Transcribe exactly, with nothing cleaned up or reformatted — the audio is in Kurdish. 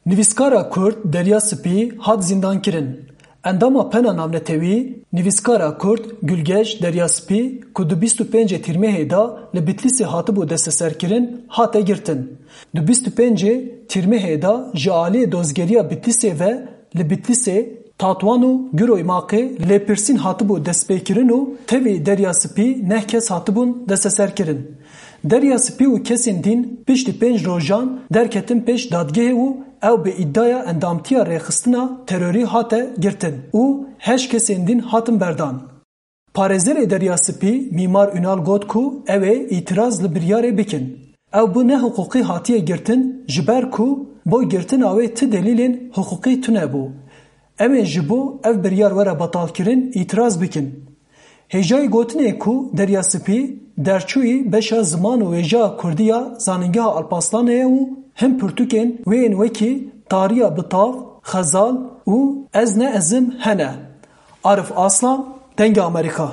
Nivîskara Kurd Derya Spî hat zîndankirin. Endama Pena Navnetewî, nivîskara Kurd Gulgeş Derya Spî ku di bîst û pêncê Tîrmehê de li Bitlîsê hatibû desteserkirin, hate girtin. Di bîst û pêncê Tîrmehê de ji aliyê dozgeriya Bitlîsê ve li Bitlîsê, Tatwan û Giroymaqê lêpirsîn hatibû destpêkirin û tevî Derya Spî neh kes hatibûn desteserkirin. Derya Spî û kesên dîn piştî pênc rojan derketin pêş dadgehê û ew bi îdaya endamtiya rêxistina terorî hate girtin û heşt kesên dîn hatin berdan. Parêzerê Derya Spî Mîmar Ünal got ku ew ê îtiraz li biryarê bikin. Ew bi nehiqûqî hatiye girtin, ji ber ku bo girtina wê ti delîlên hiqûqî tune bû. Em ê ji bo ev biryar were betalkirin îtiraz bikin. Hêjayî gotinê ku Derya Spî derçûyî beşa ziman û wêjeya kurdî ya Zanîngeha Alpaslanê ye û hin pirtûkên wê yên wekî Tariya Bitav, Xezal û Ez Ne Ez Im hene. Arif Aslan, Dengê Amerîka.